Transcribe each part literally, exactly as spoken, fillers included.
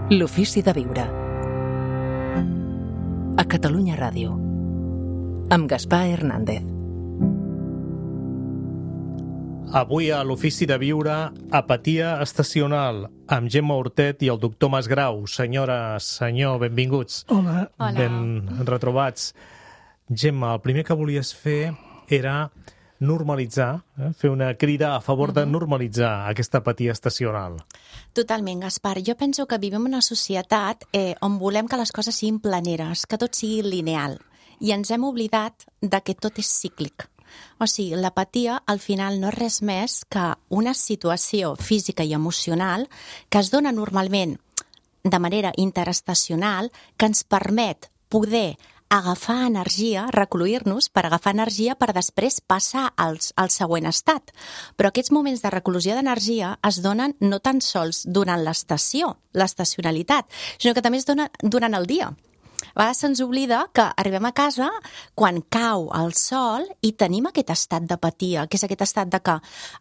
L'ofici de viure. A Catalunya Ràdio. Amb Gaspar Hernández. Avui a l'Ofici de Viure, apatia estacional, amb Gemma Hortet i el doctor Masgrau. Senyora, senyor, benvinguts. Hola. Ben retrobats. Gemma, el primer que volies fer era normalitzar, eh? fer una crida a favor de normalitzar aquesta apatia estacional. Totalment, Gaspar. Jo penso que vivim en una societat eh, on volem que les coses siguin planeres, que tot sigui lineal, i ens hem oblidat de que tot és cíclic. O sigui, l'apatia al final no és res més que una situació física i emocional que es dona normalment de manera interestacional, que ens permet poder agafar energia, recluir-nos per agafar energia per després passar al, al següent estat. Però aquests moments de reclusió d'energia es donen no tan sols durant l'estació, l'estacionalitat, sinó que també es donen durant el dia. A vegades se'ns oblida que arribem a casa quan cau el sol i tenim aquest estat d'apatia, que és aquest estat de que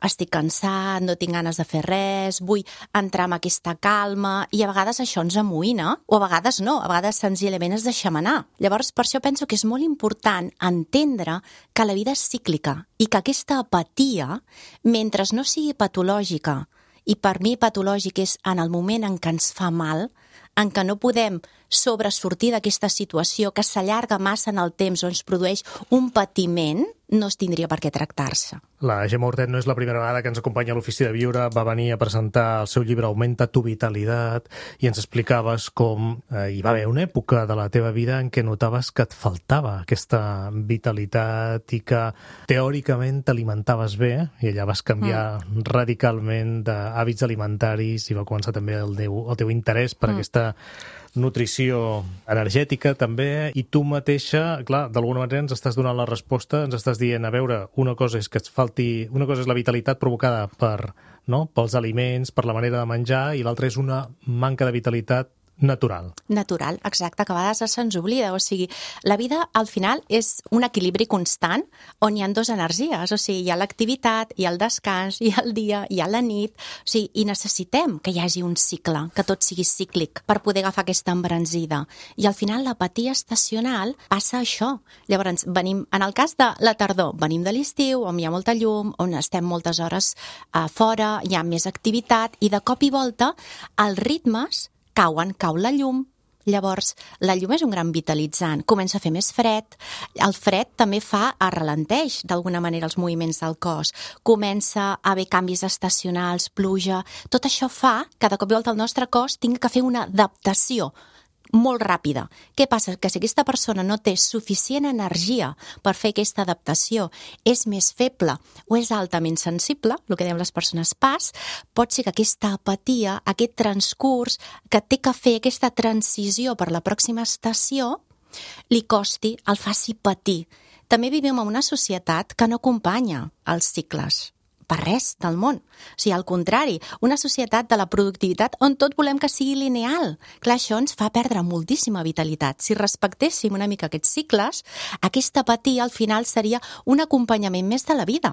estic cansat, no tinc ganes de fer res, vull entrar en aquesta calma, i a vegades això ens amoïna, o a vegades no, a vegades senzillament es deixem anar. Llavors, per això penso que és molt important entendre que la vida és cíclica i que aquesta apatia, mentre no sigui patològica, i per mi patològic és en el moment en què ens fa mal, en què no podem sobresortir d'aquesta situació que s'allarga massa en el temps o ens produeix un patiment, no es tindria per què tractar-se. La Gemma Hortet no és la primera vegada que ens acompanya a l'Ofici de Viure. Va venir a presentar el seu llibre Augmenta tu vitalitat i ens explicaves com eh, hi va haver una època de la teva vida en què notaves que et faltava aquesta vitalitat i que teòricament t'alimentaves bé, i allà vas canviar mm. radicalment d'hàbits alimentaris i va començar també el teu, el teu interès per mm. aquesta nutrició energètica també, i tu mateixa, clar, d'alguna manera ens estàs donant la resposta, ens estàs dient, a veure, una cosa és que et falti, una cosa és la vitalitat provocada per, no?, pels aliments, per la manera de menjar, i l'altra és una manca de vitalitat natural. Natural, exacte, que a vegades se'ns oblida. O sigui, la vida al final és un equilibri constant on hi ha dues energies. O sigui, hi ha l'activitat, hi ha el descans, hi ha el dia, hi ha la nit. O sigui, i necessitem que hi hagi un cicle, que tot sigui cíclic per poder agafar aquesta embranzida. I al final l'apatia estacional passa això. Llavors, venim, en el cas de la tardor, venim de l'estiu, on hi ha molta llum, on estem moltes hores a fora, hi ha més activitat, i de cop i volta els ritmes cauen, cau la llum. Llavors, la llum és un gran vitalitzant, comença a fer més fred, el fred també fa, arrelenteix d'alguna manera els moviments del cos, comença a haver canvis estacionals, pluja, tot això fa que de cop i volta el nostre cos tingui que fer una adaptació molt ràpida. Què passa? Que si aquesta persona no té suficient energia per fer aquesta adaptació, és més feble o és altament sensible, el que dèiem les persones P A S, pot ser que aquesta apatia, aquest transcurs que té que fer aquesta transició per la pròxima estació, li costi, el faci patir. També vivim en una societat que no acompanya els cicles. Per res del món. O sigui, al contrari, una societat de la productivitat on tot volem que sigui lineal. Clar, això ens fa perdre moltíssima vitalitat. Si respectéssim una mica aquests cicles, aquesta apatia al final seria un acompanyament més de la vida.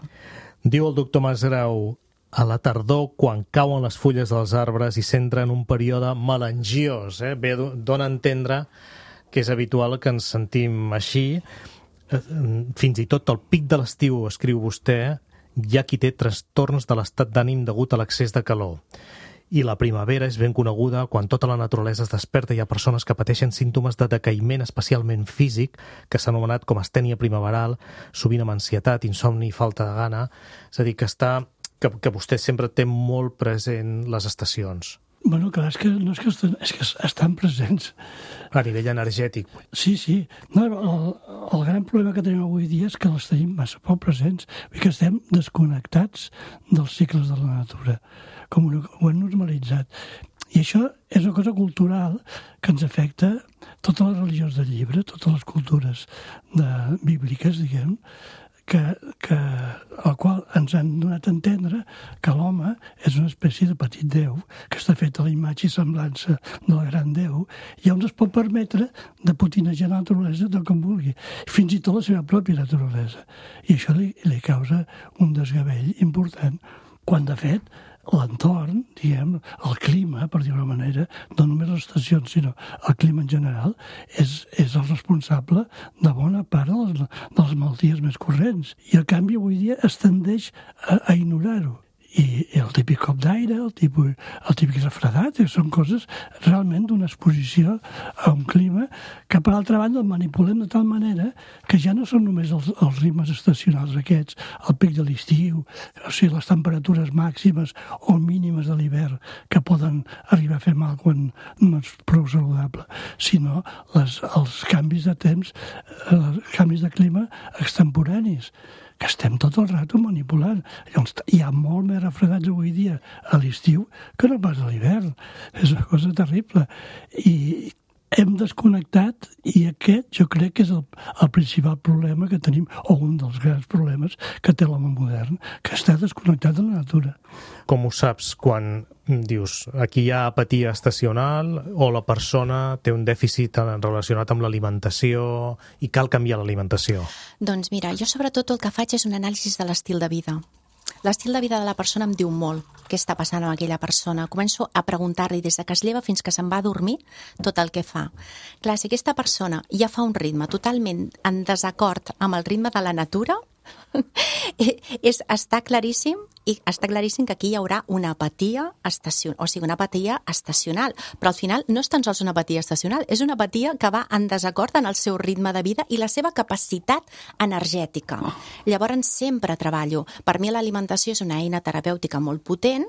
Diu el doctor Masgrau, a la tardor, quan cauen les fulles dels arbres i s'entra en un període melangiós, eh? Bé, dona a entendre que és habitual que ens sentim així. Fins i tot al pic de l'estiu, escriu vostè, hi ha qui té trastorns de l'estat d'ànim degut a l'excés de calor. I la primavera és ben coneguda quan tota la naturalesa es desperta i hi ha persones que pateixen símptomes de decaïment especialment físic, que s'ha anomenat com astènia primaveral, sovint amb ansietat, insomni i falta de gana. És a dir, que, està, que, que vostè sempre té molt present les estacions. Bueno, clar, és que no és que estan, és que estan presents. A nivell energètic. Sí, sí. No, el, el gran problema que tenim avui dia és que els tenim massa poc presents, i que estem desconnectats dels cicles de la natura, com ho hem normalitzat. I això és una cosa cultural que ens afecta totes les religions del llibre, totes les cultures de, bíbliques, diguem, que, que, el qual ens han donat a entendre que l'home és una espècie de petit déu, que està fet a la imatge i semblança del gran déu, i on es pot permetre de potinejar la naturalesa tot com vulgui, fins i tot la seva pròpia naturalesa. I això li, li causa un desgavell important, quan de fet l'entorn, diguem, el clima, per dir-ho d'una manera, no només les estacions, sinó el clima en general, és, és el responsable de bona part de les, de les malalties més corrents. I, en canvi, avui dia es tendeix a, a ignorar-ho. I el típic cop d'aire, el típic, el típic refredat, són coses realment d'una exposició a un clima que, per altra banda, el manipulem de tal manera que ja no són només els, els ritmes estacionals aquests, el pic de l'estiu, o sigui, les temperatures màximes o mínimes de l'hivern que poden arribar a fer mal quan no és prou saludable, sinó les, els canvis de temps, els canvis de clima extemporanis, que estem tot el rato manipulant. Llavors, hi ha molt més refredats avui dia a l'estiu que no pas a l'hivern. És una cosa terrible. I hem desconnectat, i aquest jo crec que és el, el principal problema que tenim, o un dels grans problemes que té l'home modern, que està desconnectat de la natura. Com ho saps quan dius aquí hi ha apatia estacional o la persona té un dèficit relacionat amb l'alimentació i cal canviar l'alimentació? Doncs mira, jo sobretot el que faig és un anàlisi de l'estil de vida. L'estil de vida de la persona em diu molt què està passant amb aquella persona. Començo a preguntar-li des de que es lleva fins que se'n va a dormir tot el que fa. Clar, si aquesta persona ja fa un ritme totalment en desacord amb el ritme de la natura, és, està claríssim i està claríssim que aquí hi haurà una apatia estacional, o sigui, una apatia estacional, però al final no és tan sols una apatia estacional, és una apatia que va en desacord en el seu ritme de vida i la seva capacitat energètica. Llavors sempre treballo. Per mi l'alimentació és una eina terapèutica molt potent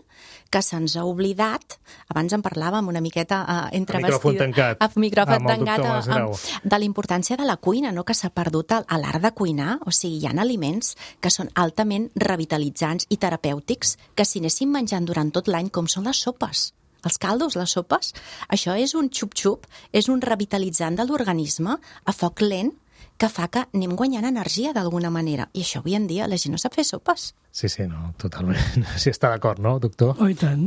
que se'ns ha oblidat, abans en parlàvem una miqueta uh, entre micròfon tancat, a micròfon amb el tancat doctor a, Masgrau, a, de la importància de la cuina, no? Que s'ha perdut a, a l'art de cuinar, o sigui, hi ha aliments que són altament revitalitzants i terapèutics que si anéssim menjant durant tot l'any, com són les sopes. Els caldos, les sopes, això és un xup-xup, és un revitalitzant de l'organisme a foc lent que fa que anem guanyant energia d'alguna manera. I això avui en dia la gent no sap fer sopes. Sí, sí, no, totalment. Sí, està d'acord, no, doctor? Oh, i tant,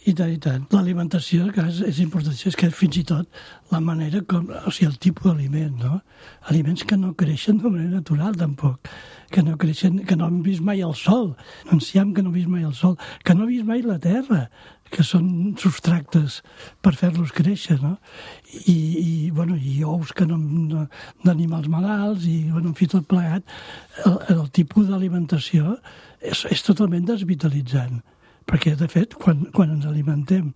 i tant, i tant. L'alimentació, que és, és important, és que fins i tot la manera com, o sigui, el tipus d'aliment, no? Aliments que no creixen de manera natural, tampoc. Que no creixen, que no han vist mai el sol. Enciam que no han vist mai el sol. Que no han vist mai la terra, que són substractes per fer-los créixer, no? I, i, bueno, i ous que no, no, d'animals malalts, i, bueno, en fi, tot plegat. El, el tipus d'alimentació és, és totalment desvitalitzant, perquè, de fet, quan, quan ens alimentem,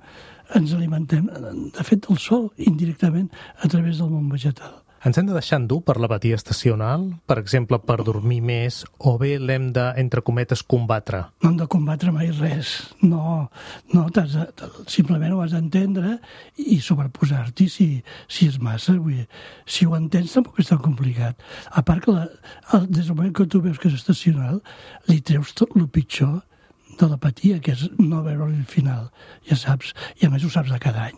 ens alimentem, de fet, del sol, indirectament, a través del món vegetal. Ens hem de deixar endur per l'apatia estacional, per exemple, per dormir més, o bé l'hem de, entre cometes, combatre? No hem de combatre mai res. No, no t'has de, simplement ho has d'entendre i sobreposar-t'hi si, si és massa. Vull dir, si ho entens tampoc és tan complicat. A part que la, el, des del moment que tu veus que és estacional, li treus tot el pitjor de l'apatia, que és no veure-li el final. Ja saps, i a més ho saps de cada any.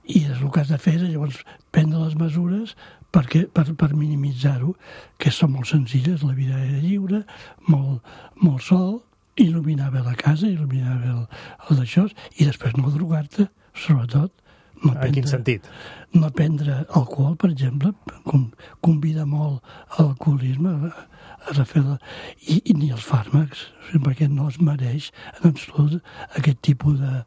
I és el que has de fer, és llavors prendre les mesures perquè, per, per minimitzar-ho, que són molt senzilles, la vida era lliure, molt, molt sol, il·luminar bé la casa, il·luminar bé el, el d'això, i després no drogar-te, sobretot. No prendre, en quin sentit? No prendre alcohol, per exemple, com, convida molt a l'alcoholisme, a, a refer la, i, i ni els fàrmacs, perquè no es mereix en absolut aquest tipus de,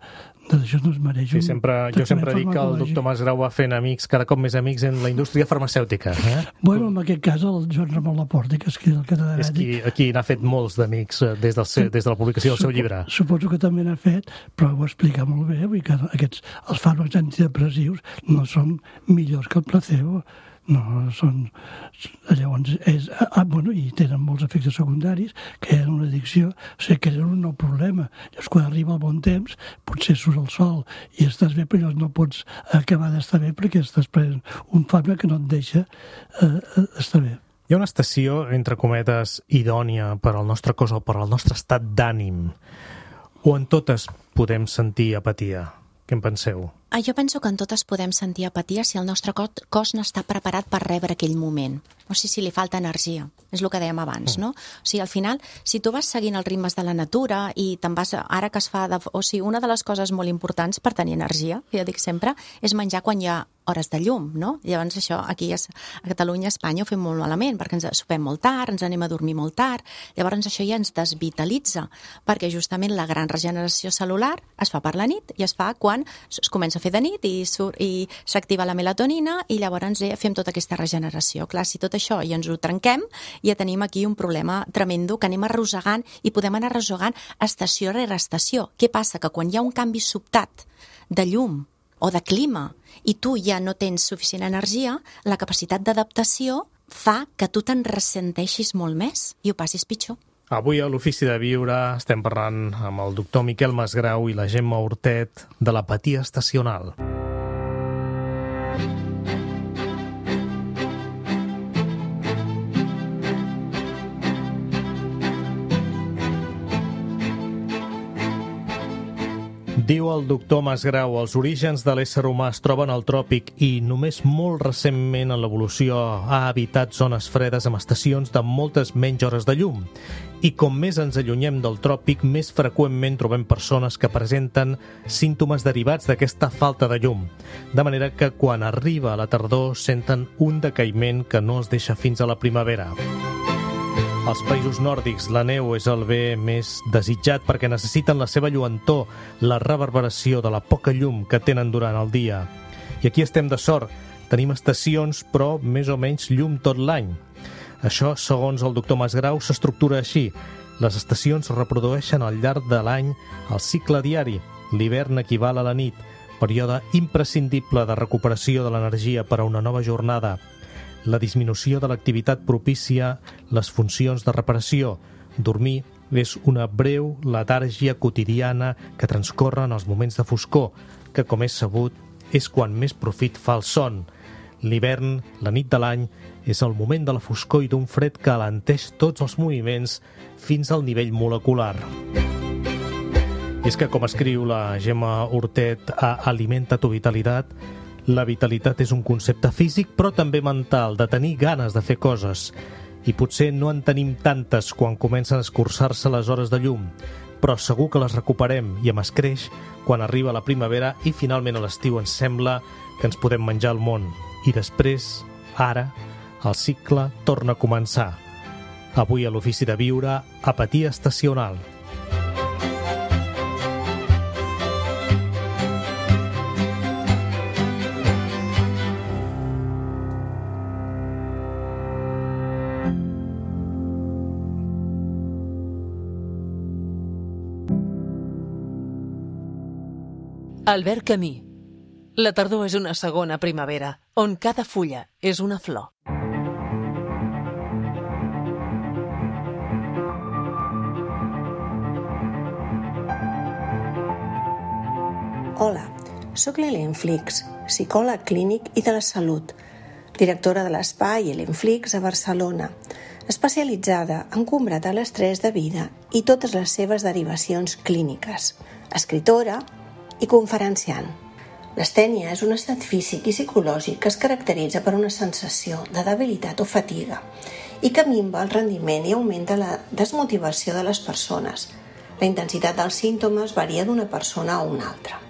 d'això no es mereix. Sí, sempre, jo sempre dic que el doctor Masgrau va fent amics, cada cop més amics en la indústria farmacèutica. Eh? Bueno, en aquest cas el Joan Ramon Laporta, que és el catedràtic. És qui, qui n'ha fet molts d'amics des, del seu, des de la publicació del seu llibre. Suposo que també n'ha fet, però ho explica molt bé, vull que aquests, els fàrmacs antidepressius no són millors que el placebo. No, són... Llavors, és, ah, bueno, i tenen molts efectes secundaris, que eren una addicció, o sigui, que eren un nou problema. Llavors, quan arriba el bon temps, potser surt el sol i estàs bé, però no pots acabar d'estar bé perquè estàs prenent un fàrmac que no et deixa eh, estar bé. Hi ha una estació, entre cometes, idònia per al nostre cos o per al nostre estat d'ànim, o en totes podem sentir apatia? Què en penseu? Jo penso que en totes podem sentir apatia si el nostre cos no està preparat per rebre aquell moment. O sigui, si li falta energia. És el que dèiem abans, no? O sigui, al final, si tu vas seguint els ritmes de la natura i te'n vas, ara que es fa... De, o sigui, una de les coses molt importants per tenir energia, jo dic sempre, és menjar quan hi ha hores de llum, no? Llavors això, aquí a Catalunya, a Espanya, ho fem molt malament, perquè ens sopem molt tard, ens anem a dormir molt tard, llavors això ja ens desvitalitza, perquè justament la gran regeneració cel·lular es fa per la nit i es fa quan es comença a fer de nit i, i s'activa la melatonina i llavors fem tota aquesta regeneració. Clar, si tot això ja ens ho trenquem, ja tenim aquí un problema tremendo que anem arrossegant i podem anar arrossegant estació rere estació. Què passa? Que quan hi ha un canvi sobtat de llum o de clima i tu ja no tens suficient energia, la capacitat d'adaptació fa que tu te'n ressenteixis molt més i ho passis pitjor. Avui a l'Ofici de Viure estem parlant amb el doctor Miquel Masgrau i la Gemma Hortet de l'apatia estacional. Diu el doctor Masgrau, els orígens de l'ésser humà es troben al tròpic i només molt recentment en l'evolució ha habitat zones fredes amb estacions de moltes menys hores de llum. I com més ens allunyem del tròpic, més freqüentment trobem persones que presenten símptomes derivats d'aquesta falta de llum. De manera que quan arriba la tardor senten un decaïment que no es deixa fins a la primavera. Als països nòrdics la neu és el bé més desitjat perquè necessiten la seva lluentor, la reverberació de la poca llum que tenen durant el dia. I aquí estem de sort. Tenim estacions, però més o menys llum tot l'any. Això, segons el doctor Masgrau, s'estructura així. Les estacions reprodueixen al llarg de l'any el cicle diari. L'hivern equival a la nit, període imprescindible de recuperació de l'energia per a una nova jornada. La disminució de l'activitat propicia les funcions de reparació. Dormir és una breu letàrgia quotidiana que transcorre en els moments de foscor, que, com és sabut, és quan més profit fa el son. L'hivern, la nit de l'any, és el moment de la foscor i d'un fred que alenteix tots els moviments fins al nivell molecular. És que, com escriu la Gemma Hortet a Alimenta tu vitalitat, la vitalitat és un concepte físic, però també mental, de tenir ganes de fer coses. I potser no en tenim tantes quan comencen a escurçar-se les hores de llum, però segur que les recuperem i amb escreix quan arriba la primavera i finalment a l'estiu ens sembla que ens podem menjar el món. I després, ara, el cicle torna a començar. Avui a l'Ofici de Viure, apatia estacional. Albert Camus. La tardor és una segona primavera, on cada fulla és una flor. Hola, sóc l'Helen Flix, psicòleg clínic i de la salut, directora de l'espai Helen Flix a Barcelona, especialitzada en combatre l'estrès de vida i totes les seves derivacions clíniques, escritora i conferenciant. L'astènia és un estat físic i psicològic que es caracteritza per una sensació de debilitat o fatiga i que minva el rendiment i augmenta la desmotivació de les persones. La intensitat dels símptomes varia d'una persona a una altra.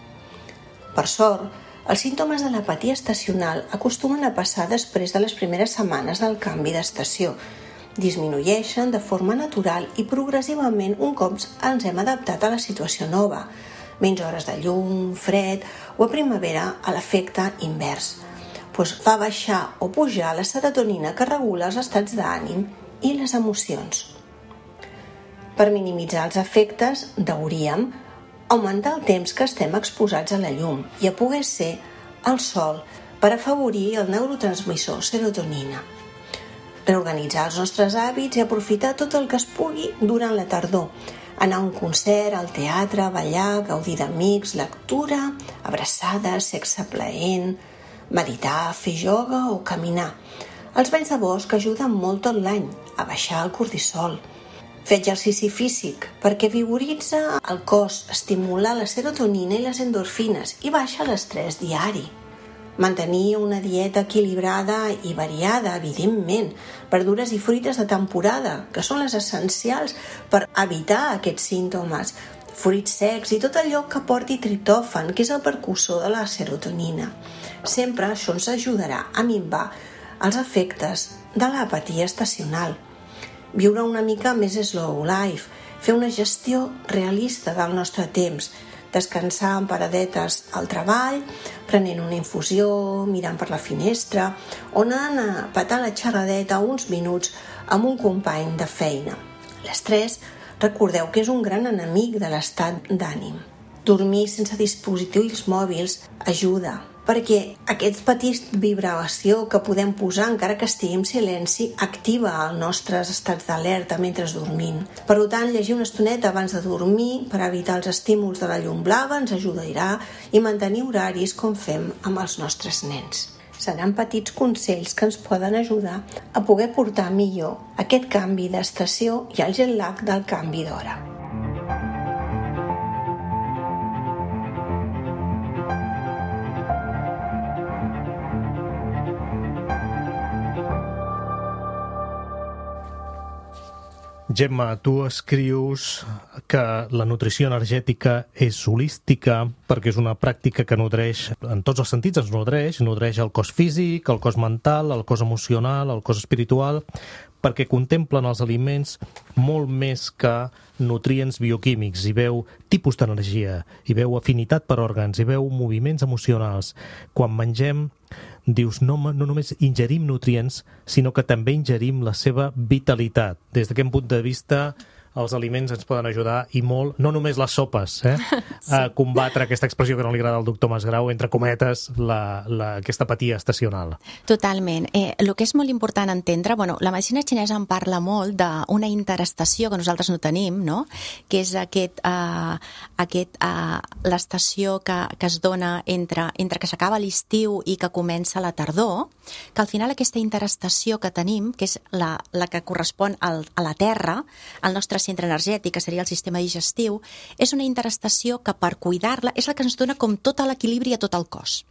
Per sort, els símptomes de l'apatia estacional acostumen a passar després de les primeres setmanes del canvi d'estació. Disminueixen de forma natural i progressivament un cop ens hem adaptat a la situació nova, menys hores de llum, fred o a primavera a l'efecte invers, doncs fa baixar o pujar la serotonina que regula els estats d'ànim i les emocions. Per minimitzar els efectes, hauríem augmentar el temps que estem exposats a la llum i a poder ser al sol per afavorir el neurotransmissor serotonina. Reorganitzar els nostres hàbits i aprofitar tot el que es pugui durant la tardor, anar a un concert, al teatre, ballar, gaudir d'amics, lectura, abraçades, sexe plaent, meditar, fer ioga o caminar. Els banys de bosc ajuden molt tot l'any a baixar el cortisol. Fer exercici físic, perquè vigoritza el cos, estimula la serotonina i les endorfines i baixa l'estrès diari. Mantenir una dieta equilibrada i variada, evidentment, verdures i fruites de temporada, que són les essencials per evitar aquests símptomes, fruits secs i tot allò que porti triptòfan, que és el precursor de la serotonina. Sempre això ens ajudarà a minvar els efectes de l'apatia estacional. Viure una mica més slow life, fer una gestió realista del nostre temps, descansar en paradetes al treball, prenent una infusió, mirant per la finestra o anant a petar la xerradeta uns minuts amb un company de feina. L'estrès, recordeu que és un gran enemic de l'estat d'ànim. Dormir sense dispositius mòbils ajuda, perquè aquest petit vibració que podem posar encara que estigui en silenci activa els nostres estats d'alerta mentre dormim. Per tant, llegir una estoneta abans de dormir per evitar els estímuls de la llum blava ens ajudarà i mantenir horaris com fem amb els nostres nens. Seran petits consells que ens poden ajudar a poder portar millor aquest canvi d'estació i el jet lag del canvi d'hora. Gemma, tu escrius que la nutrició energètica és holística perquè és una pràctica que nodreix, en tots els sentits ens nodreix, nodreix el cos físic, el cos mental, el cos emocional, el cos espiritual, perquè contemplen els aliments molt més que nutrients bioquímics, hi veu tipus d'energia, hi veu afinitat per òrgans, hi veu moviments emocionals. Quan mengem, dius, no, no només ingerim nutrients, sinó que també ingerim la seva vitalitat. Des d'aquest punt de vista, els aliments ens poden ajudar i molt, no només les sopes, eh? Sí. A combatre aquesta expressió que no li agrada al doctor Masgrau, entre cometes, la, la, aquesta apatia estacional. Totalment. Eh, el que és molt important entendre, bueno, la medicina xinesa en parla molt d'una interestació que nosaltres no tenim, no? Que és aquest, uh, aquest uh, l'estació que, que es dona entre, entre que s'acaba l'estiu i que comença la tardor, que al final aquesta interestació que tenim, que és la, la que correspon al, a la Terra, al nostre centre energètic, que seria el sistema digestiu, és una interestació que per cuidar-la és la que ens dona com tot l'equilibri a tot el cos.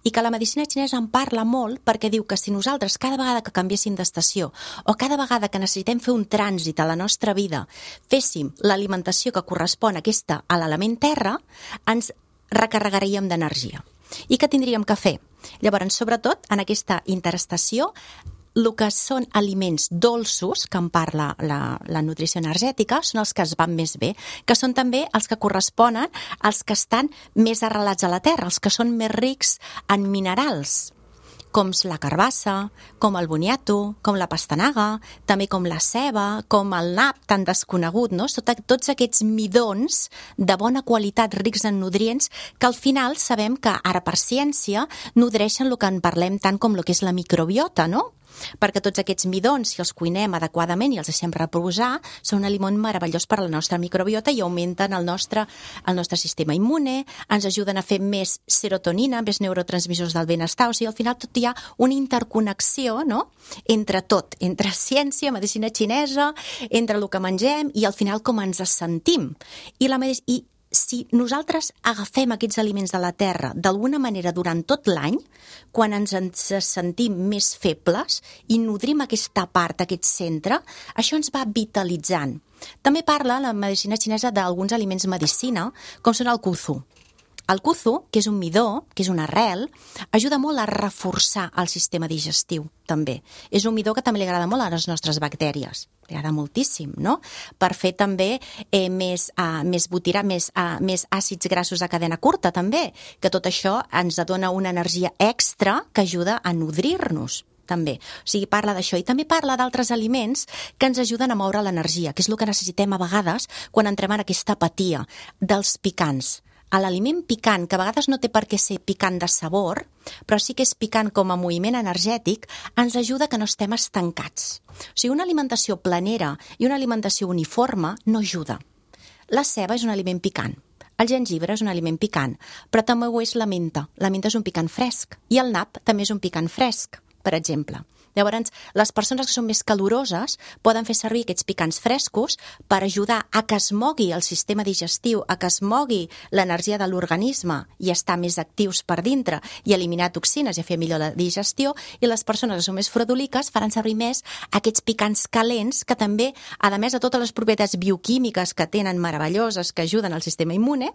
I que la medicina xinesa en parla molt perquè diu que si nosaltres cada vegada que canviéssim d'estació o cada vegada que necessitem fer un trànsit a la nostra vida féssim l'alimentació que correspon a aquesta, a l'element terra, ens recarregaríem d'energia. I què tindríem que fer? Llavors, sobretot, en aquesta interestació, el que són aliments dolços, que en parla la, la nutrició energètica, són els que es van més bé, que són també els que corresponen als que estan més arrelats a la terra, els que són més rics en minerals, com la carbassa, com el boniato, com la pastanaga, també com la ceba, com el nap tan desconegut, no? Tot, tots aquests midons de bona qualitat, rics en nutrients, que al final sabem que ara per ciència nodreixen el que en parlem tant com el que és la microbiota, no? Perquè tots aquests midons, si els cuinem adequadament i els deixem reposar, són un aliment meravellós per a la nostra microbiota i augmenten el nostre, el nostre sistema immune, ens ajuden a fer més serotonina, més neurotransmissors del benestar, o sigui, al final tot hi ha una interconnexió, no?, entre tot, entre ciència, medicina xinesa, entre el que mengem i al final com ens sentim. I la medic- i si nosaltres agafem aquests aliments de la terra d'alguna manera durant tot l'any, quan ens en sentim més febles i nodrim aquesta part, aquest centre, això ens va vitalitzant. També parla la medicina xinesa d'alguns aliments medicina, com són el kuzu. El kuzu, que és un midó, que és una arrel, ajuda molt a reforçar el sistema digestiu, també. És un midó que també li agrada molt a les nostres bactèries. Li agrada moltíssim, no? Per fer també eh, més, uh, més butirà, més, uh, més àcids grassos de cadena curta, també, que tot això ens dona una energia extra que ajuda a nodrir-nos, també. O sigui, parla d'això. I també parla d'altres aliments que ens ajuden a moure l'energia, que és el que necessitem a vegades quan entrem en aquesta apatia dels picants. A l'aliment picant, que a vegades no té per què ser picant de sabor, però sí que és picant com a moviment energètic, ens ajuda que no estem estancats. O sigui, una alimentació planera i una alimentació uniforme no ajuda. La ceba és un aliment picant, el gengibre és un aliment picant, però també ho és la menta. La menta és un picant fresc i el nap també és un picant fresc, per exemple. Llavors, les persones que són més caloroses poden fer servir aquests picants frescos per ajudar a que es mogui el sistema digestiu, a que es mogui l'energia de l'organisme i estar més actius per dintre i eliminar toxines i a fer millor la digestió, i les persones que són més fredoliques faran servir més aquests picants calents que també, a més de totes les propietats bioquímiques que tenen meravelloses que ajuden al sistema immune,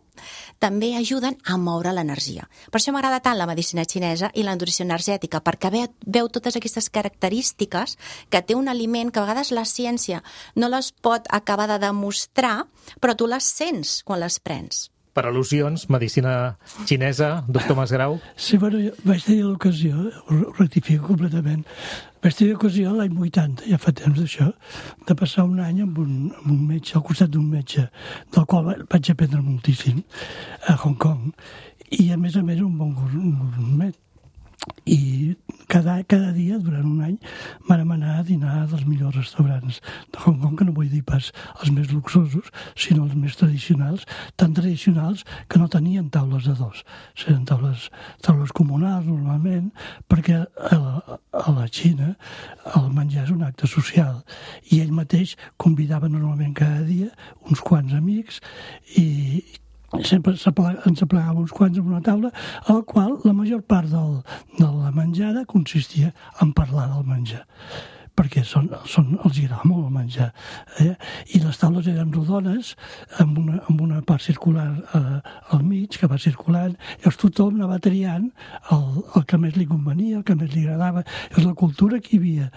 també ajuden a moure l'energia. Per això m'agrada tant la medicina xinesa i la nutrició energètica, perquè veu, veu totes aquestes característiques que té un aliment que a vegades la ciència no les pot acabar de demostrar, però tu les sents quan les prens. Per al·lusions, medicina xinesa, doctor Masgrau. Sí, bueno, jo vaig tenir l'ocasió, ho rectifico completament, vaig tenir l'ocasió l'any vuitanta, ja fa temps d'això, de passar un any amb un, amb un metge, al costat d'un metge, del qual vaig aprendre moltíssim, a Hong Kong, i a més a més un bon gourmet. I cada, cada dia, durant un any, vam anar a dinar dels millors restaurants de Hong Kong, que no vull dir pas els més luxosos, sinó els més tradicionals, tan tradicionals que no tenien taules de dos. Eren taules, taules comunals, normalment, perquè a la, a la Xina el menjar és un acte social. I ell mateix convidava normalment cada dia uns quants amics i sempre ens aplegàvem uns quants en una taula, a la qual la major part del, de la menjada consistia en parlar del menjar, perquè són, són, els agrada molt el menjar. Eh? I les taules eren rodones, amb una, amb una part circular eh, al mig, que va circulant, i llavors tothom anava triant el, el que més li convenia, el que més li agradava. És la cultura que hi havia,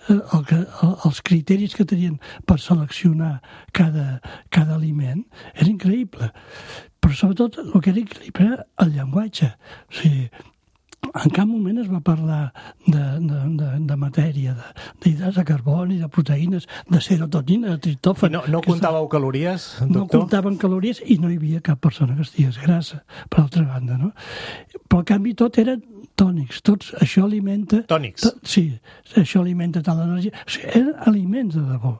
eh, el que, el, els criteris que tenien per seleccionar cada, cada aliment, era increïble. Però sobretot el que era increïble era el llenguatge. O sigui, en cap moment es va parlar de, de, de, de matèria, d'hidrats de, de carboni, de proteïnes, de serotonina, de triptòfan. No, no comptàveu que... calories, doctor? No comptaven calories i no hi havia cap persona que estigués grassa, per altra banda, no? Però, en canvi, tot eren tònics, tots, això alimenta... Tònics? To, sí, això alimenta tal energia. O sigui, eren aliments de debò.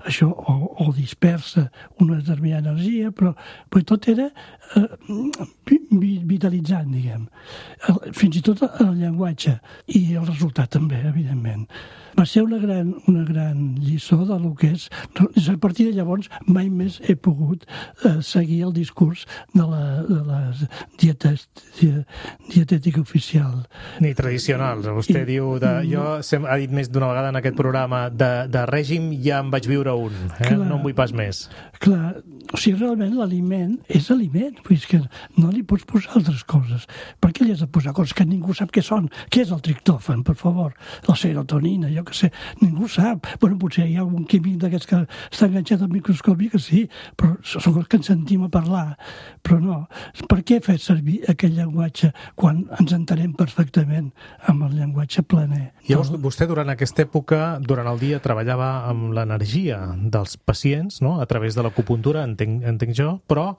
Això o, o dispersa una determinada energia, però, però tot era eh, vitalitzant, diguem. Fins i tot el llenguatge i el resultat també, evidentment. Va ser una gran, una gran lliçó de lo que és... A partir de llavors mai més he pogut eh, seguir el discurs de la, de la dietes, dietètica oficial. Ni tradicionals. Vostè I, diu... De, jo no, ha dit més d'una vegada en aquest programa de, de règim ja em vaig viure un. Eh? Clar, no en vull pas més. Clar, o sigui, realment l'aliment és aliment. Vull dir que no li pots posar altres coses. Per què li has de posar coses que ningú sap què són? Què és el triptòfan, per favor? La serotonina, jo que sé, ningú sap. Bueno, potser hi ha algun químic d'aquests que està enganxat al microscopi, que sí, però són els que ens sentim a parlar. Però no, per què fer servir aquell llenguatge quan ens entenem perfectament amb el llenguatge planer? Llavors, vostè durant aquesta època, durant el dia, treballava amb l'energia dels pacients, no?, a través de l'acupuntura, entenc, entenc jo, però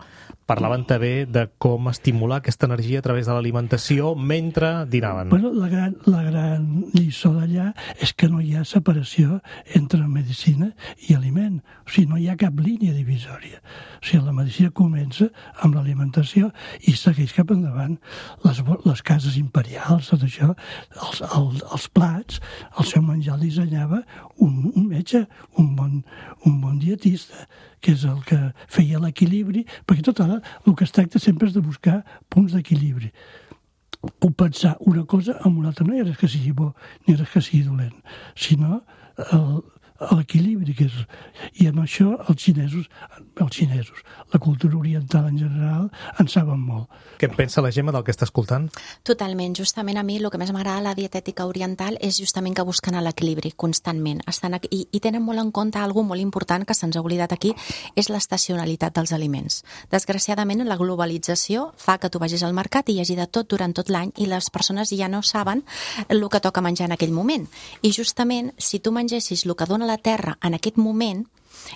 parlaven també de com estimular aquesta energia a través de l'alimentació mentre dinaven. Bueno, la gran, la gran lliçó d'allà és que no hi ha separació entre medicina i aliment. O sigui, no hi ha cap línia divisòria. O sigui, la medicina comença amb l'alimentació i segueix cap endavant. Les, les cases imperials, tot això, els, els, els plats, el seu menjar el dissenyava un, un metge, un bon, un bon dietista, que és el que feia l'equilibri, perquè tot ara el que es tracta sempre és de buscar punts d'equilibri. Compensar una cosa amb una altra, no hi ha res que sigui bo ni res que sigui dolent, sinó el, l'equilibri que és. I amb això els xinesos, els xinesos, la cultura oriental en general, en saben molt. Què en pensa la Gemma del que està escoltant? Totalment. Justament a mi el que més m'agrada a la dietètica oriental és justament que busquen l'equilibri constantment. Estan aquí, i, i tenen molt en compte algo molt important que se'ns ha oblidat aquí, és l'estacionalitat dels aliments. Desgraciadament, la globalització fa que tu vagis al mercat i hi hagi de tot durant tot l'any i les persones ja no saben el que toca menjar en aquell moment. I justament, si tu mengessis el que dona la terra en aquest moment,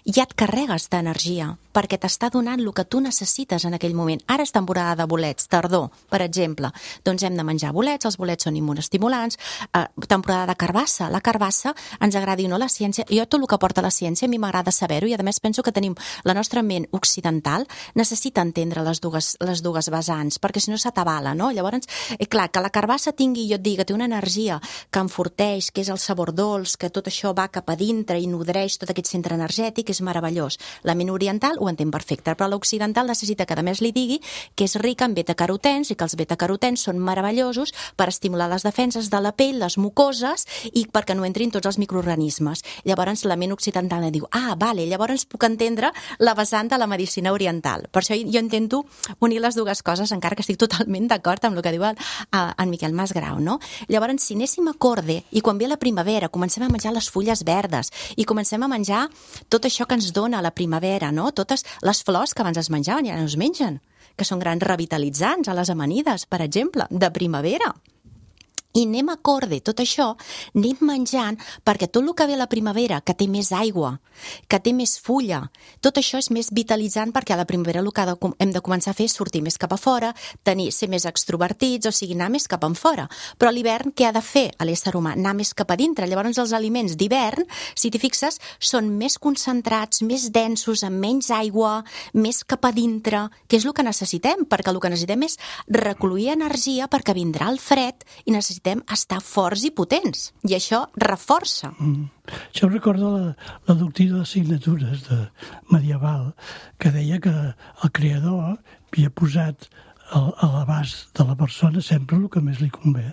ja et carregues d'energia, perquè t'està donant el que tu necessites en aquell moment. Ara és temporada de bolets, tardor, per exemple. Doncs hem de menjar bolets, els bolets són immunostimulants, eh, temporada de carbassa. La carbassa, ens agradi o no la ciència, jo tot el que porta la ciència a mi m'agrada saber-ho i a més penso que tenim la nostra ment occidental necessita entendre les dues, les dues vessants, perquè si no s'atabala, no? Llavors, eh, clar, que la carbassa tingui, jo et dic, que té una energia que enforteix, que és el sabor dolç, que tot això va cap a dintre i nodreix tot aquest centre energètic, és meravellós. La ment oriental ho entén perfecte, però l'occidental necessita que a més li digui que és rica en betacarotens i que els betacarotens són meravellosos per estimular les defenses de la pell, les mucoses i perquè no entrin tots els microorganismes. Llavors la ment occidental diu, ah, vale, llavors puc entendre la vessant de la medicina oriental. Per això jo intento unir les dues coses, encara que estic totalment d'acord amb el que diu el, en Miquel Masgrau, no? Llavors, si anéssim a corde i quan ve la primavera comencem a menjar les fulles verdes i comencem a menjar tot això que ens dona la primavera, no? Totes les flors que abans es menjaven i ara no es mengen, que són grans revitalitzants a les amanides, per exemple, de primavera. I anem a corde, tot això, anem menjant, perquè tot el que ve a la primavera, que té més aigua, que té més fulla, tot això és més vitalitzant perquè a la primavera el que hem de començar a fer és sortir més cap a fora, tenir, ser més extrovertits, o sigui, anar més cap en fora. Però a l'hivern què ha de fer a l'ésser humà? Anar més cap a dintre. Llavors els aliments d'hivern, si t'hi fixes, són més concentrats, més densos, amb menys aigua, més cap a dintre, que és el que necessitem, perquè el que necessitem és recollir energia perquè vindrà el fred i necessitem estar forts i potents, i això reforça. Mm. Això em recorda la, la doctrina d'assignatures de medieval, que deia que el creador havia posat a, a l'abast de la persona sempre el que més li convé,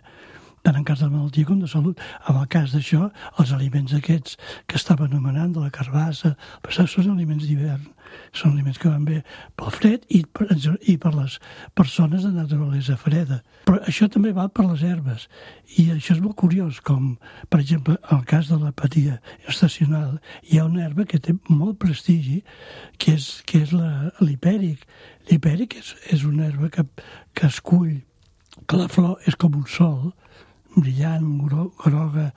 tant en cas de malaltia com de salut. En el cas d'això, els aliments aquests que estava anomenant, de la carbassa, són aliments d'hivern, són aliments que van bé pel fred i per, i per les persones de naturalesa freda. Però això també val per les herbes, i això és molt curiós, com, per exemple, en el cas de l'apatia estacional, hi ha una herba que té molt prestigi, que és, que és la, l'hipèric. L'hipèric és, és una herba que, que es cull, que la flor és com un sol, brillant, groga,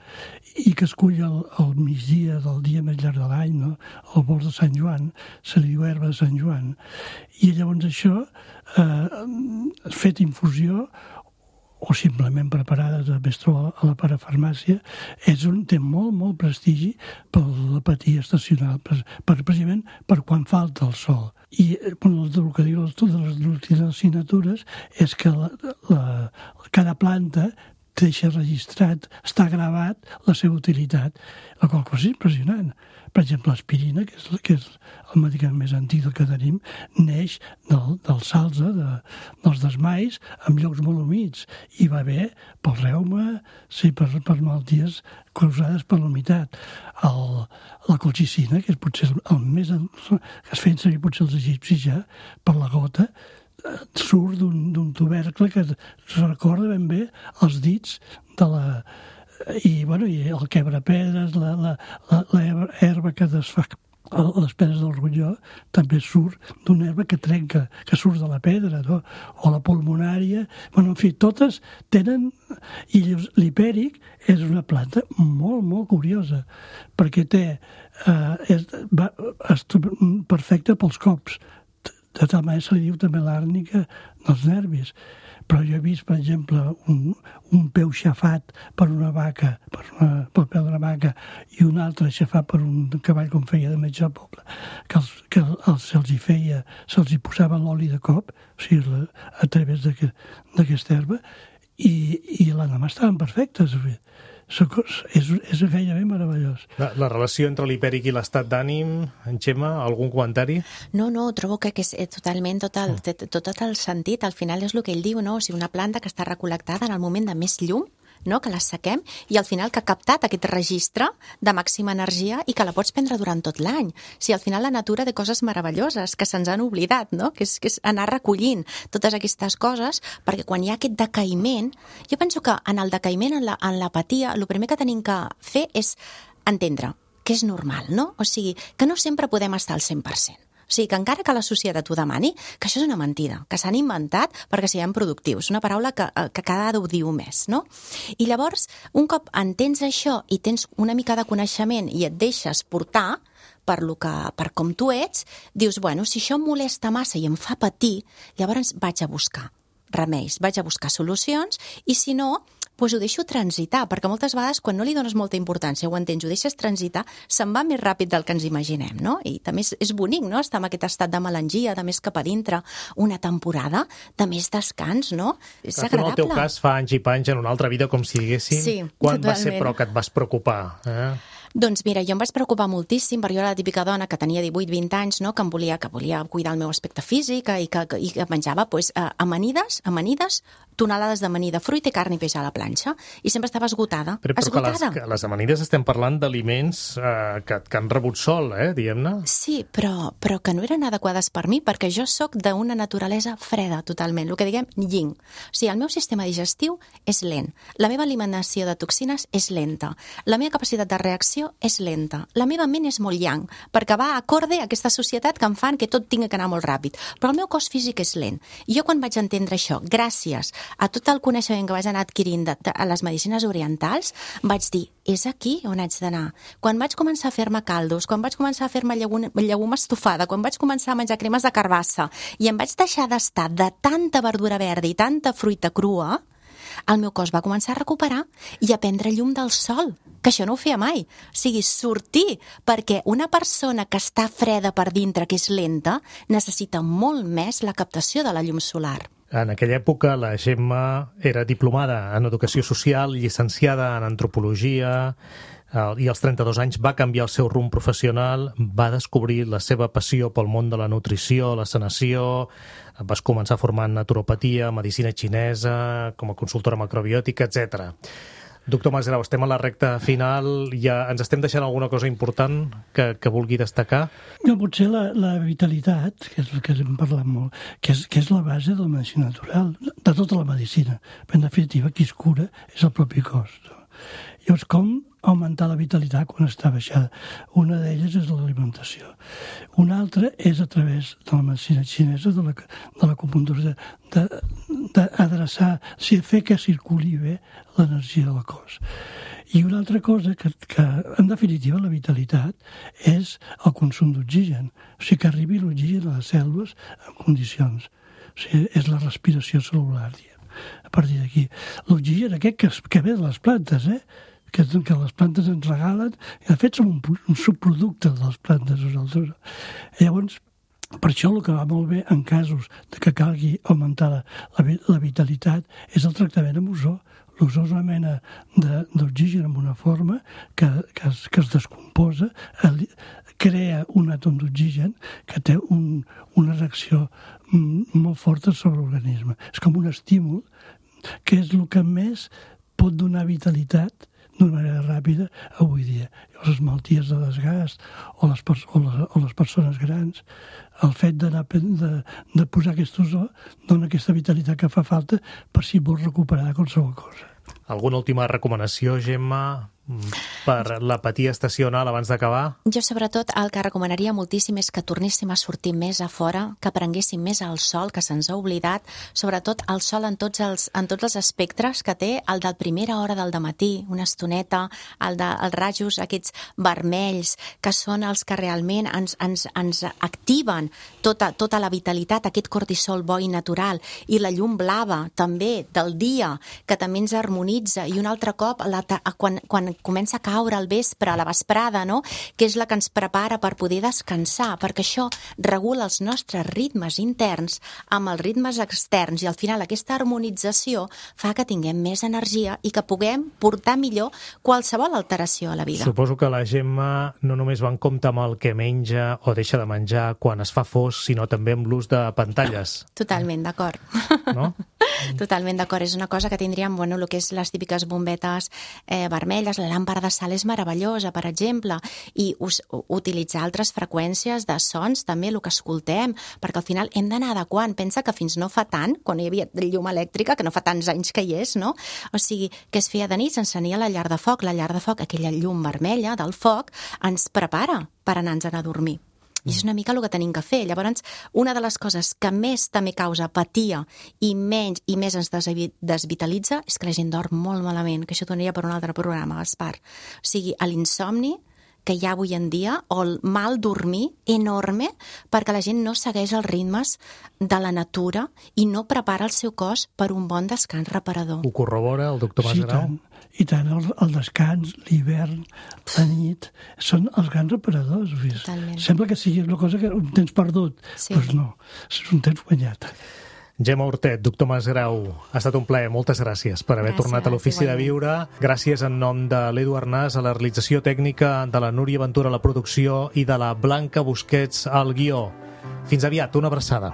i que es cull al, al migdia del dia més llarg de l'any, no? Al bord de Sant Joan, se li diu herba de Sant Joan. I llavors això, eh, fet infusió, o simplement preparada, també es troba a la parafarmàcia, és un, té molt, molt prestigi per l'apatia estacional, per, per, precisament per quan falta el sol. I bueno, el que diu totes les assignatures és que la, la, cada planta deixa registrat, està gravat la seva utilitat, la qual cosa és impressionant. Per exemple, l'aspirina, que és, que és el medicament més antic que tenim, neix del, del salze, de, dels desmais, en llocs molt humits, i va bé pel reuma, sí, per, per malalties causades per la humitat. El, la colchicina, que és potser el, el més... que es feien servir potser els egipcis ja, per la gota, surt d'un, d'un tubercle que es recorda ben bé els dits de la... I, bueno, i el quebrapedres, la, la, la, la herba que desfà les pedres del ronyó, també surt d'una herba que trenca, que surt de la pedra, no? O la pulmonària. Bueno, en fi, totes tenen... I l'hipèric és una planta molt, molt curiosa, perquè té... Eh, és, va, és perfecta pels cops. De tal manera se li diu també l'àrnica dels nervis. Però jo he vist, per exemple, un, un peu xafat per una vaca, per una, pel peu d'una vaca, i un altre xafat per un cavall, com feia de metge al poble, que, els, que els, se'ls hi feia, se'ls hi posava l'oli de cop, o sigui, la, a través d'aquesta herba, i, i l'endemà estaven perfectes. És, és gairebé meravellós. La, la relació entre l'hipèric i l'estat d'ànim, en Xema, algun comentari? No, no, trobo que, que és totalment tot el, tot, tot el sentit. Al final és el que ell diu, no? O sigui, una planta que està recol·lectada en el moment de més llum, no? Que la sequem, i al final que ha captat aquest registre de màxima energia i que la pots prendre durant tot l'any. O sigui, al final la natura té coses meravelloses que se'ns han oblidat, no? Que és, que és anar recollint totes aquestes coses, perquè quan hi ha aquest decaïment, jo penso que en el decaïment, en, la, en l'apatia, el primer que tenim que fer és entendre que és normal, no? O sigui, que no sempre podem estar al cent per cent. O sigui, que encara que la societat ho demani, que això és una mentida, que s'han inventat perquè siguem productius. Una paraula que, que cada vegada ho diu més, no? I llavors, un cop entens això i tens una mica de coneixement i et deixes portar per, lo que, per com tu ets, dius, bueno, si això em molesta massa i em fa patir, llavors vaig a buscar remeis, vaig a buscar solucions, i si no, doncs ho deixo transitar, perquè moltes vegades quan no li dones molta importància, ho entens, ho deixes transitar, se'n va més ràpid del que ens imaginem, no? I també és, és bonic, no?, estar en aquest estat de melangia, de més cap a dintre, una temporada de més descans, no? És Clar, agradable. Tu, en el teu cas, fa anys i panys en una altra vida, com si diguéssim. Sí, quan totalment. va ser, però, que et vas preocupar? Eh? Doncs mira, jo em vaig preocupar moltíssim, perquè jo era la típica dona que tenia divuit vint anys, no?, que em volia, que volia cuidar el meu aspecte físic i que, i que menjava pues, amanides, amanides, tonelades d'amanida, fruita i carn i peix a la planxa, i sempre estava esgotada. Però, però esgotada. que les, que les amanides estem parlant d'aliments eh, que, que han rebut sol, eh, diguem-ne. Sí, però, però que no eren adequades per mi, perquè jo sóc d'una naturalesa freda, totalment, el que diguem yin. O sigui, el meu sistema digestiu és lent, la meva eliminació de toxines és lenta, la meva capacitat de reacció és lenta, la meva ment és molt yang, perquè va acorde a aquesta societat que em fan que tot tingui que anar molt ràpid, però el meu cos físic és lent. I jo quan vaig entendre això, gràcies a tot el coneixement que vaig anar adquirint de, de, a les medicines orientals, vaig dir, és aquí on haig d'anar. Quan vaig començar a fer-me caldos, quan vaig començar a fer-me llegum, llegum estofada, quan vaig començar a menjar cremes de carbassa, i em vaig deixar d'estar de tanta verdura verda i tanta fruita crua, el meu cos va començar a recuperar i a prendre llum del sol, que això no ho feia mai. O sigui, sortir, perquè una persona que està freda per dintre, que és lenta, necessita molt més la captació de la llum solar. En aquella època la Gemma era diplomada en Educació Social, llicenciada en Antropologia, i als trenta-dos anys va canviar el seu rumb professional, va descobrir la seva passió pel món de la nutrició, la sanació, vas començar formant naturopatia, medicina xinesa, com a consultora macrobiòtica, etcètera. Doctor Masgrau, estem a la recta final, ja ens estem deixant alguna cosa important que, que vulgui destacar? No, potser la, la vitalitat, que és el que hem parlat molt, que és, que és la base de la medicina natural, de tota la medicina. Però en definitiva, qui es cura és el propi cos. No? Llavors, com augmentar la vitalitat quan està baixada? Una d'elles és l'alimentació. Una altra és a través de la medicina xinesa, de la, de l'acupuntura, d'adreçar, o sigui, fer que circuli bé l'energia del cos. I una altra cosa, que, que en definitiva la vitalitat és el consum d'oxigen, o sigui, que arribi l'oxigen a les cèl·lules en condicions. O sigui, és la respiració cel·lular, diguem, a partir d'aquí. L'oxigen aquest que, que ve de les plantes, eh? Que, que les plantes ens regalen, i de fet som un, un subproducte de les plantes nosaltres. Llavors, per això el que va molt bé en casos de que calgui augmentar la, la, la vitalitat és el tractament amb ozó. L'ozó és una mena d'oxigen amb una forma que, que, es, que es descomposa, el, crea un àtom d'oxigen que té un, una reacció molt forta sobre l'organisme. És com un estímul que és el que més pot donar vitalitat d'una manera ràpida avui dia. Les malalties de desgast o les, o les, o les persones grans, el fet d'anar de, de posar aquest ozó dona aquesta vitalitat que fa falta per si vols recuperar qualsevol cosa. Alguna última recomanació, Gemma, per la patia estacional abans d'acabar? Jo, sobretot, el que recomanaria moltíssim és que tornéssim a sortir més a fora, que prenguéssim més el sol, que se'ns ha oblidat, sobretot el sol en tots els, en tots els espectres que té, el de primera hora del dematí, una estoneta, el dels de, rajos aquests vermells, que són els que realment ens, ens, ens activen tota, tota la vitalitat, aquest cortisol bo i natural, i la llum blava, també, del dia, que també ens harmonitza, i un altre cop, la, quan, quan comença a caure al vespre, a la vesprada, no? Que és la que ens prepara per poder descansar, perquè això regula els nostres ritmes interns amb els ritmes externs, i al final aquesta harmonització fa que tinguem més energia i que puguem portar millor qualsevol alteració a la vida. Suposo que la Gemma no només va en compte amb el que menja o deixa de menjar quan es fa fos, sinó també amb l'ús de pantalles. Totalment d'acord. No? Totalment d'acord. És una cosa que tindríem, bueno, el que és les típiques bombetes eh, vermelles, la làmpara de sal és meravellosa, per exemple, i us, utilitzar altres freqüències de sons, també el que escoltem, perquè al final hem d'anar adequant. Pensa que fins no fa tant, quan hi havia llum elèctrica, que no fa tants anys que hi és, no? O sigui, que es feia de nit, s'encenia la llar de foc, la llar de foc, aquella llum vermella del foc, ens prepara per anar-nos a dormir. I és una mica el que tenim que fer. Llavors, una de les coses que més també causa apatia i menys i més ens desvitalitza és que la gent dorm molt malament, que això donaria per un altre programa, Gaspar. O sigui, l'insomni, que hi ha avui en dia, o el mal dormir enorme, perquè la gent no segueix els ritmes de la natura i no prepara el seu cos per un bon descans reparador. Ho corrobora el doctor Sí, Masgrau? tant. I tant, el, el descans, l'hivern, la nit, són els grans reparadors. Totalment. Sembla que sigui una cosa que un temps perdut, Sí. doncs no, és un temps guanyat. Gemma Hortet, doctor Masgrau, ha estat un plaer. Moltes gràcies per haver Gràcies, tornat a l'Ofici de igualment. Viure. Gràcies en nom de l'Edu Arnàs a la realització tècnica, de la Núria Ventura a la producció i de la Blanca Busquets al guió. Fins aviat, una abraçada.